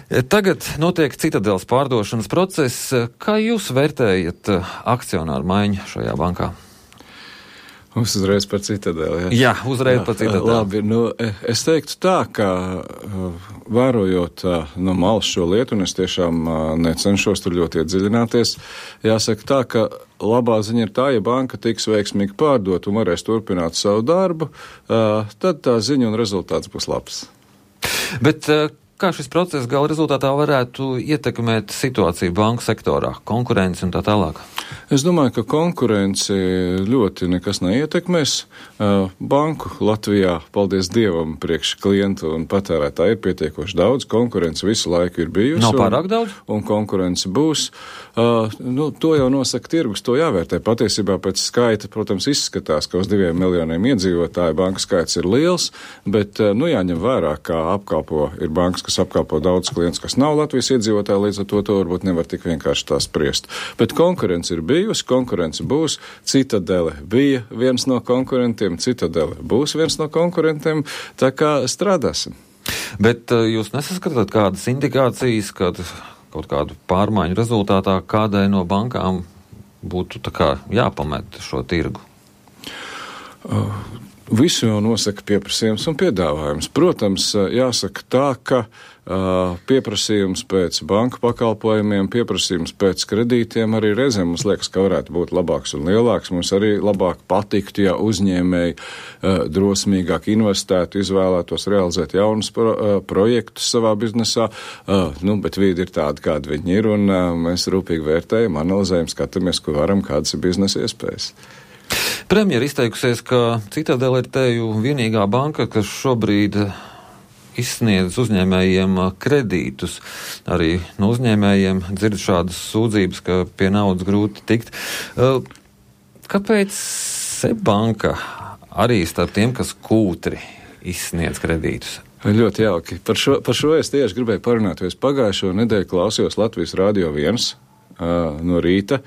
Tagad notiek Citadeles pārdošanas process. Kā jūs vērtējat akcionāru maiņu šajā bankā? Uzreiz par Citadeli. Jā, uzreiz par Citadeli. Labi, es teiktu tā, ka vērojot no malas šo lietu, un es tiešām necenšos tur ļoti iedziļināties, jāsaka tā, ka labā ziņa ir tā, ja banka tiks veiksmīgi pārdot un varēs turpināt savu darbu, tad tā ziņa un rezultāts būs labs. Bet kā šis process gala rezultātā varētu ietekmēt situāciju banku sektorā, konkurenci un tā tālāk? Es domāju, ka konkurenci ļoti nekas neietekmēs. Banku Latvijā, paldies Dievam, priekš klientu un patērētāju ir pietiekoši daudz. Konkurence visu laiku ir bijusi. Nav pārāk daudz? Un konkurence būs. To jau nosaka tirgus, to jāvērtē. Patiesībā pēc skaita, protams, izskatās, ka uz 2 miljoniem iedzīvotāju banku skaits ir liels, bet jāņem vērā, kā apkalpo ir bankas, kas apkalpo daudz klientus, kas nav Latvijas iedzīvotāji, līdz ar to varbūt nevar tik vienkārši tā spriest. Bet konkurence ir bijusi, konkurence būs. Citadele bija viens no konkurentiem, Citadele būs viens no konkurentiem, tā kā strādāsim. Bet jūs nesaskatāt kādas indikācijas, kad kaut kādu pārmaiņu rezultātā kādai no bankām būtu tā kā jāpamet šo tirgu? Visu jau nosaka pieprasījums un piedāvājums. Protams, jāsaka tā, ka pieprasījums pēc banku pakalpojumiem, pieprasījums pēc kredītiem arī reizēm mums liekas, ka varētu būt labāks un lielāks. Mums arī labāk patiktu, ja uzņēmēji drosmīgāk investētu, izvēlētos realizēt jaunus projektus savā biznesā, bet vīdi ir tādi, kādi viņi ir, un mēs rūpīgi vērtējam, analizējam, skatāmies, ko varam, kādas ir biznesa iespējas. Premjera izteikusies, ka Citadele ir teju vienīgā banka, kas šobrīd izsniedz uzņēmējiem kredītus. Arī no uzņēmējiem dzird šādas sūdzības, ka pie naudas grūti tikt. Kāpēc SEB banka arī starp tiem, kas kūtri izsniedz kredītus? Ļoti jauki. Par šo es tieši gribēju parunāt, jo es pagājušo nedēļu klausījos Latvijas Radio 1. No rīta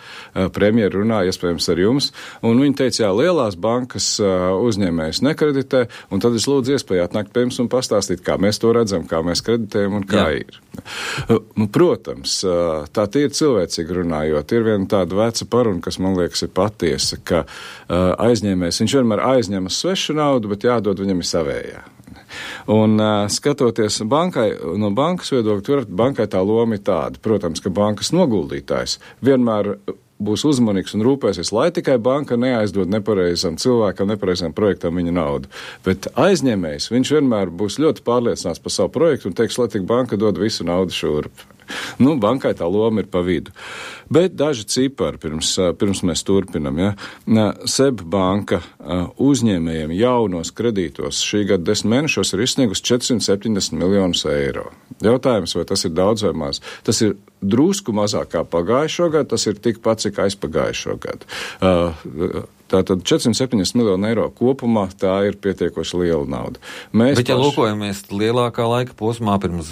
premjera runāja, iespējams, ar jums, un viņi teica, jā, lielās bankas uzņēmējus nekreditē, un tad es lūdzu iespēju atnākt pie jums un pastāstīt, kā mēs to redzam, kā mēs kreditējam un kā ir. Protams, tā ir cilvēcīgi runājot. Ir viena tāda veca paruna, kas man liekas ir patiesa, ka aizņēmējs, viņš vienmēr aizņemas svešu naudu, bet jādod viņam ir savējā. Un skatoties bankai, no bankas viedokļa, bankai tā loma ir tāda. Protams, ka bankas noguldītājs vienmēr būs uzmanīgs un rūpēsies, lai tikai banka neaizdod nepareizam cilvēkam, nepareizam projektam viņa naudu. Bet aizņēmējs, viņš vienmēr būs ļoti pārliecināts par savu projektu un teiks, lai tik banka dod visu naudu šurp. Bankai tā loma ir pa vidu. Bet daži cipari, pirms mēs turpinam, ja? SEB banka uzņēmējiem jaunos kredītos šī gada 10 mēnešos ir izsniegusi 470 miljonus eiro. Jautājums, vai tas ir daudz vai maz? Tas ir drusku mazāk kā pagājušo gadu, tas ir tikpat, cik aizpagājušo gadu. Tātad 470 miljonu eiro kopumā, tā ir pietiekoši liela nauda. Bet, ja lūkojamies lielākā laika posmā, pirms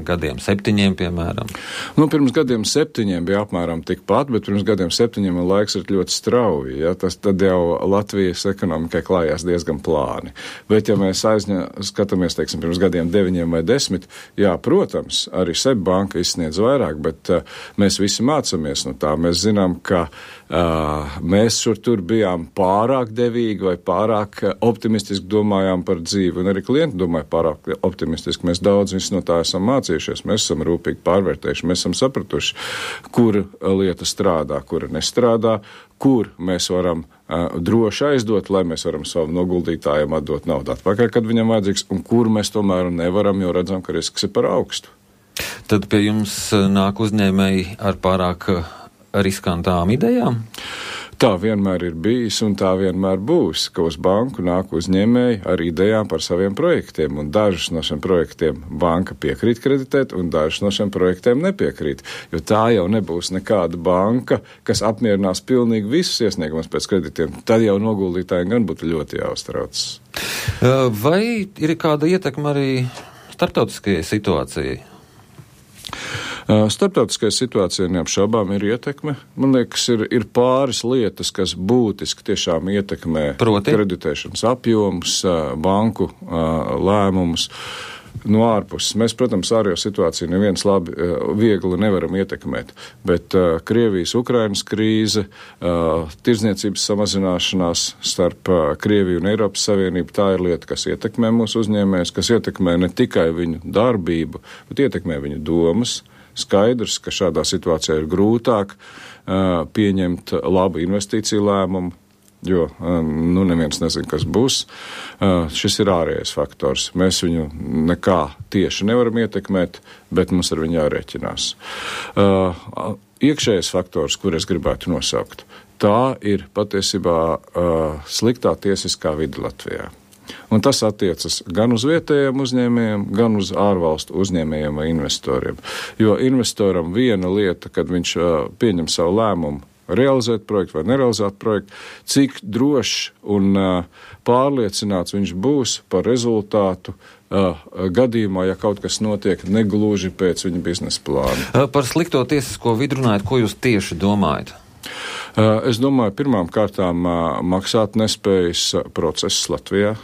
gadiem 7, piemēram? Pirms gadiem 7 bija apmēram tikpat, bet pirms gadiem 7 laiks ir ļoti strauji. Ja? Tad jau Latvijas ekonomikai klājās diezgan plāni. Bet, ja mēs skatāmies, teiksim, pirms gadiem 9 vai 10, jā, protams, arī SEB banka izsniedz vairāk, bet mēs visi mācāmies no tā. Mēs zinām, ka mēs šur tur bijām pārāk devīgi vai pārāk optimistiski domājām par dzīvi, un arī klienti domāja pārāk optimistiski. Mēs daudz no tā esam mācījušies, mēs esam rūpīgi pārvērtējuši, mēs esam sapratuši, kur lieta strādā, kura nestrādā, kur mēs varam droši aizdot, lai mēs varam savam noguldītājiem atdot naudu atpakaļ, kad viņam vajadzīgs, un kur mēs tomēr nevaram, jo redzam, ka risks ir par augstu. Tad pie jums nāk uzņēmēji ar pārāk riskantām idejām? Tā vienmēr ir bijis un tā vienmēr būs, ka uz banku nāk uzņēmēji ar idejām par saviem projektiem, un dažus no šiem projektiem banka piekrīt kreditēt, un dažus no šiem projektiem nepiekrīt, jo tā jau nebūs nekāda banka, kas apmierinās pilnīgi visus iesniegumus pēc kreditiem. Tad jau noguldītājiem gan būtu ļoti jāuztraucas. Vai ir kāda ietekme arī starptautiskajai situācijai? Starptautiskajai situācijai neapšaubām ir ietekme. Man liekas, ir pāris lietas, kas būtiski tiešām ietekmē kreditēšanas apjomus, banku lēmumus. no ārpuses. Mēs, protams, ārējo situāciju neviens viegli nevaram ietekmēt, bet Krievijas-Ukrainas krīze, tirdzniecības samazināšanās starp Krieviju un Eiropas Savienību, tā ir lieta, kas ietekmē mūsu uzņēmējus, kas ietekmē ne tikai viņu darbību, bet ietekmē viņu domas. Skaidrs, ka šādā situācijā ir grūtāk pieņemt labu investīciju lēmumu, jo neviens nezina, kas būs. Šis ir ārējais faktors. Mēs viņu nekā tieši nevaram ietekmēt, bet mums ar viņu jārēķinās. Iekšējais faktors, kur es gribētu nosaukt, tā ir patiesībā sliktā tiesiskā vide Latvijā. Un tas attiecas gan uz vietējiem uzņēmējiem, gan uz ārvalstu uzņēmējiem vai investoriem. Jo investoram viena lieta, kad viņš pieņem savu lēmumu, realizēt projektu vai nerealizēt projektu, cik drošs un pārliecināts viņš būs par rezultātu gadījumā, ja kaut kas notiek negluži pēc viņa biznesa plāna. Par slikto tiesisko vidu runājot, ko jūs tieši domājat? Es domāju, pirmām kārtām maksātnespējas process Latvijā.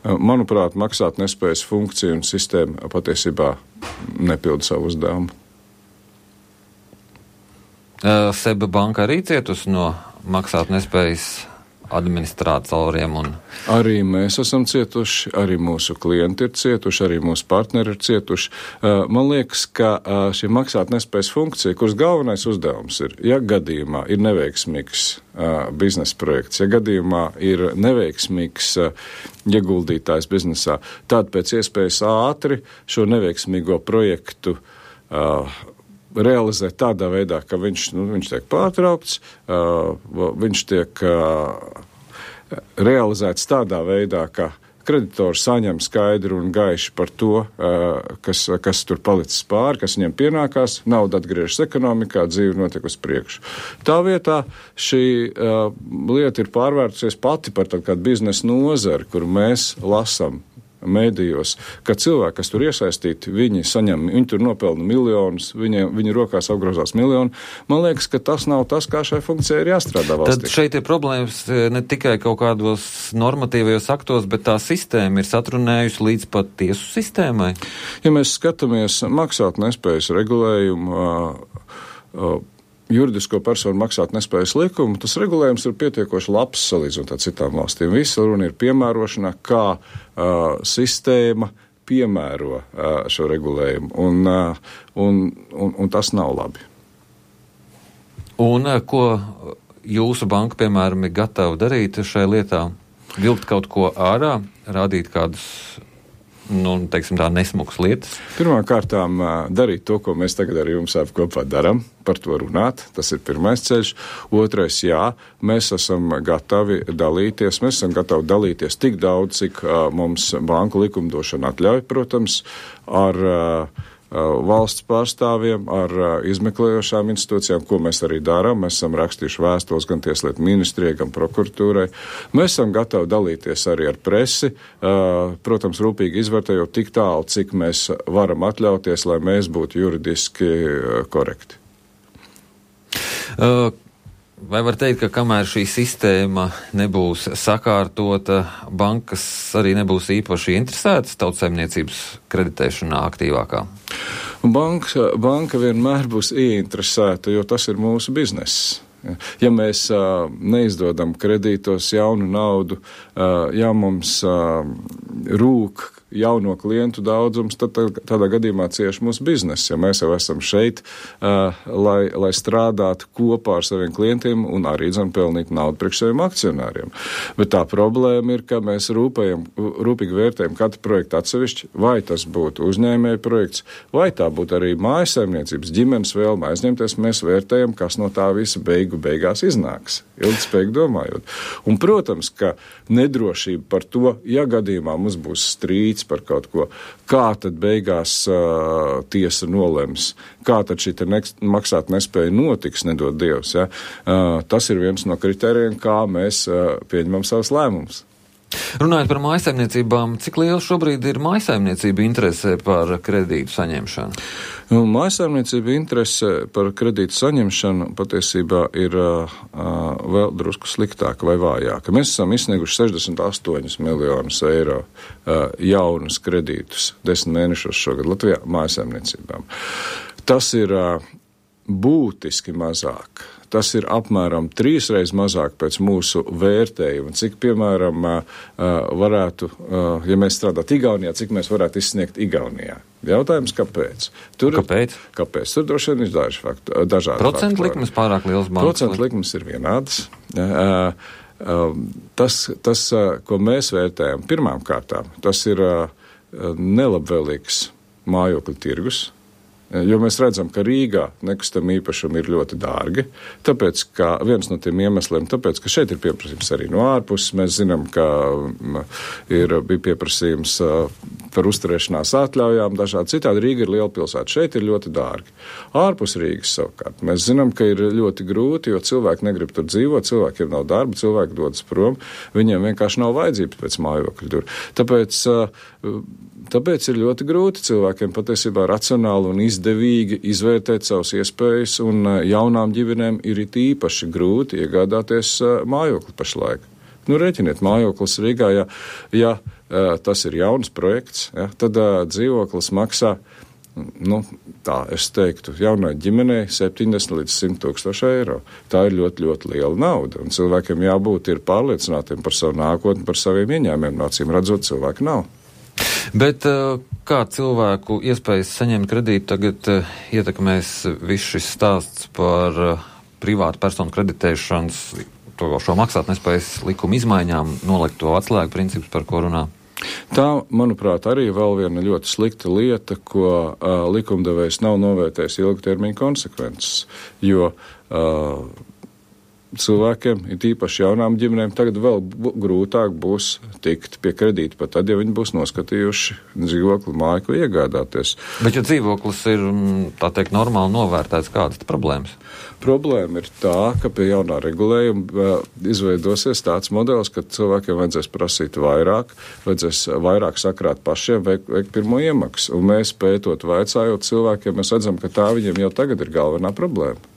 Manuprāt, maksātnespējas funkcija un sistēma patiesībā nepilda savu uzdevumu. Seba banka arī cietusi no maksātnespējas administratoriem un... Arī mēs esam cietuši, arī mūsu klienti ir cietuši, arī mūsu partneri ir cietuši. Man liekas, ka šī maksātnespējas funkcija, kuras galvenais uzdevums ir, ja gadījumā ir neveiksmīgs biznesa projekts, ja gadījumā ir neveiksmīgs ieguldītājs biznesā, tad pēc iespējas ātri šo neveiksmīgo projektu realizēt tādā veidā, ka viņš tiek pārtraukts, viņš tiek realizēts tādā veidā, ka kreditors saņem skaidru un gaiši par to, kas tur palicis pāri, kas viņiem pienākās, nauda atgriežas ekonomikā, dzīve notiek uz priekšu. Tā vietā šī lieta ir pārvērtusies pati par tādu biznesa nozari, kuru mēs lasam mēdījos, ka cilvēki, kas tur iesaistīti, viņi tur nopelna miljonus, viņu rokās apgrozās miljoni. Man liekas, ka tas nav tas, kā šai funkcijai ir jāstrādā valstī. Tad šeit ir problēmas ne tikai kaut kādos normatīvajos aktos, bet tā sistēma ir satrunējusi līdz pat tiesu sistēmai. Ja mēs skatāmies maksātnespējas regulējumu, juridisko personu maksātnespējas likumu, tas regulējums ir pietiekoši labs salīdzinot ar citām valstīm. Visa runa ir piemērošanā, kā sistēma piemēro šo regulējumu, un tas nav labi. Un ko jūsu banka, piemēram, ir gatava darīt šai lietā? Vilkt kaut ko ārā, rādīt kādus teiksim tā, nesmukas lietas? Pirmkārtām darīt to, ko mēs tagad ar jums kopā darām, par to runāt. Tas ir pirmais ceļš. Otrais, jā, mēs esam gatavi dalīties tik daudz, cik mums banku likumdošana atļauj, protams, ar valsts pārstāvjiem, ar izmeklējošām institūcijām, ko mēs arī darām. Mēs esam rakstījuši vēstules gan Tieslietu ministrijai, gan prokuratūrai. Mēs esam gatavi dalīties arī ar presi, protams, rūpīgi izvērtējot tik tālu, cik mēs varam atļauties, lai mēs būtu juridiski korekti. Vai var teikt, ka kamēr šī sistēma nebūs sakārtota, bankas arī nebūs īpaši interesētas tautsaimniecības kreditēšanā aktīvākā? Banka vienmēr būs ieinteresēta, jo tas ir mūsu bizness. Ja mēs neizdodam kredītos jaunu naudu, ja mums rūk jauno klientu daudzums, tad tādā gadījumā cieši mūsu biznesa. Ja mēs jau esam šeit, lai strādātu kopā ar saviem klientiem un arī pelnīt naudu priekš saviem akcionāriem. Bet tā problēma ir, ka mēs rūpīgi vērtējam katru projektu atsevišķi, vai tas būtu uzņēmēja projekts, vai tā būtu arī mājasaimniecības ģimenes vēlme aizņemties. Mēs vērtējam, kas no tā visa beigās iznāks, ilgspējīgi domājot. Un, protams, ka nedrošība par to, ja gadījumā mums būs strīds par kaut ko, kā tad beigās tiesa nolems, kā tad šī maksāt nespēja notiks, nedod Dievs. Ja? Tas ir viens no kritērijiem, kā mēs pieņemam savus lēmumus. Runājot par mājsaimniecībām, cik liela šobrīd ir mājsaimniecība interese par kredītu saņemšanu? Mājsaimniecība interese par kredītu saņemšanu patiesībā ir vēl drusku sliktāka vai vājāka. Mēs esam izsnieguši 68 miljonus eiro jaunus kredītus 10 mēnešos šogad Latvijā mājsaimniecībām. Tas ir būtiski mazāk. Tas ir apmēram 3 reizes mazāk pēc mūsu vērtējuma. Cik, piemēram, varētu, ja mēs strādātu Igaunijā, cik mēs varētu izsniegt Igaunijā? Jautājums, kāpēc? Kāpēc? Tur droši vien ir dažādi procentu likmes pārāk liels bankas? Procentu likmes ir vienādas. Tas, ko mēs vērtējam pirmām kārtām, tas ir nelabvēlīgs mājokļu tirgus. Jo mēs redzam, ka Rīgā nekustamie īpašumi ir ļoti dārgi, tāpēc, ka viens no tiem iemesliem, tāpēc, ka šeit ir pieprasījums arī no ārpuses. Mēs zinām, ka bija pieprasījums par uzturēšanās atļaujām, dažādi citādi. Rīga ir liela pilsēta, šeit ir ļoti dārgi. Ārpus Rīgas savukārt mēs zinām, ka ir ļoti grūti, jo cilvēki negrib tur dzīvot, cilvēkiem nav darba, cilvēki dodas prom, viņiem vienkārši nav vajadzības pēc mājokļu tur. Tāpēc ir ļoti grūti cilvēkiem patiesībā racionāli un izdevīgi izvērtēt savas iespējas, un jaunām ģimenēm ir īpaši grūti iegādāties mājokli pašlaik. Reķiniet, mājoklis Rīgā, ja tas ir jauns projekts, tad dzīvoklis maksā, es teiktu, jaunai ģimenei 70 līdz 100 tūkstoši eiro. Tā ir ļoti, ļoti liela nauda, un cilvēkiem jābūt ir pārliecinātiem par savu nākotni, par saviem ieņēmumiem. Acīm redzot, cilvēki nav. Bet kā cilvēku iespējas saņemt kredītu tagad ietekmēs viss šis stāsts par privātu personu kreditēšanas, šo maksātnespējas likuma izmaiņām, nolikto atslēgu principus, par ko runā? Tā, manuprāt, arī vēl viena ļoti slikta lieta, ko likumdevējs nav novērtējis ilgtermiņa konsekvences, jo cilvēkiem, it īpaši jaunām ģimenēm, tagad vēl grūtāk būs tikt pie kredīta, pat tad, ja viņi būs noskatījuši dzīvokli, māju, ko iegādāties. Bet, ja dzīvoklis ir, tā teikt, normāli novērtēts, kādas problēmas? Problēma ir tā, ka pie jaunā regulējuma izveidosies tāds modelis, ka cilvēkiem vajadzēs prasīt vairāk, vajadzēs vairāk sakrāt pašiem, veikt pirmo iemaksu. Un mēs pētot, vaicājot cilvēkiem, mēs redzam, ka tā viņiem jau tagad ir galvenā problēma.